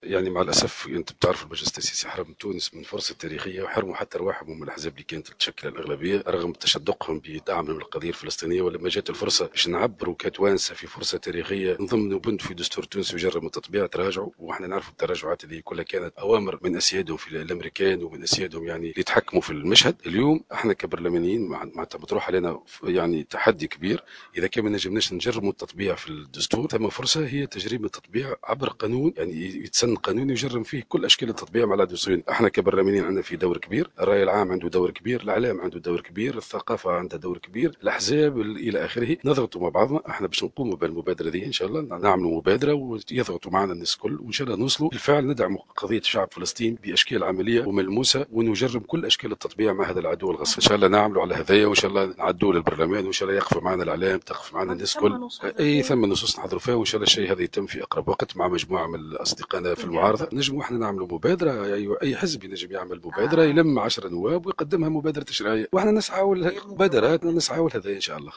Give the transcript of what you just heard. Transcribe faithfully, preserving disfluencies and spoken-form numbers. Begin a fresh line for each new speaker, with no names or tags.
يعني مع الاسف انت بتعرف المجلس التاسيسي حرم تونس من فرصة تاريخية، وحرموا حتى رواحهم من الاحزاب اللي كانت تشكل الاغلبية رغم تشدقهم بدعمهم للقضية الفلسطينيه. ولما جات الفرصة باش نعبروا كتوانسه في فرصة تاريخية نضمنوا بند في دستور تونس يجرم التطبيع تراجعوا، واحنا نعرفوا التراجعات اللي كلها كانت اوامر من اسيادهم في الامريكان ومن اسيادهم يعني اللي يتحكموا في المشهد. اليوم احنا كبرلمانيين معناتها مطروح علينا يعني تحدي كبير، اذا كان ما نجمناش نجرموا التطبيع في الدستور ثم فرصة هي تجريم التطبيع عبر قانون، يعني يتسن قانون يجرم فيه كل اشكال التطبيع مع العدو الصهيوني. احنا كبرلمانيين عندنا في دور كبير، الراي العام عنده دور كبير، الاعلام عنده دور كبير، الثقافة عندها دور كبير، الاحزاب الى اخره. نضغطوا مع بعضنا احنا باش نقوموا بالمبادرة دي ان شاء الله، نعملوا مبادرة ويضغطوا معنا الناس الكل، وان شاء الله نوصلوا بالفعل ندعم قضية شعب فلسطين باشكال عملية وملموسه ونجرم كل اشكال التطبيع مع هذا العدو الغاصب. ان شاء الله نعملوا على هذايا، وان شاء الله نعدوا للبرلمان، وان شاء الله يقف معنا الاعلام، تقف معنا الناس الكل. اي ثم نصوص نحضروا فيها، وان شاء الله الشيء هذا يتم في اقرب وقت مع مجموعة من اصدقائنا في المعارضة. نجموا احنا نعملوا مبادرة، اي اي حزب ينجم يعمل مبادرة، يلم عشرة نواب ويقدمها مبادرة تشريعية، واحنا نسعى المبادرات نسعى لهذا ان شاء الله.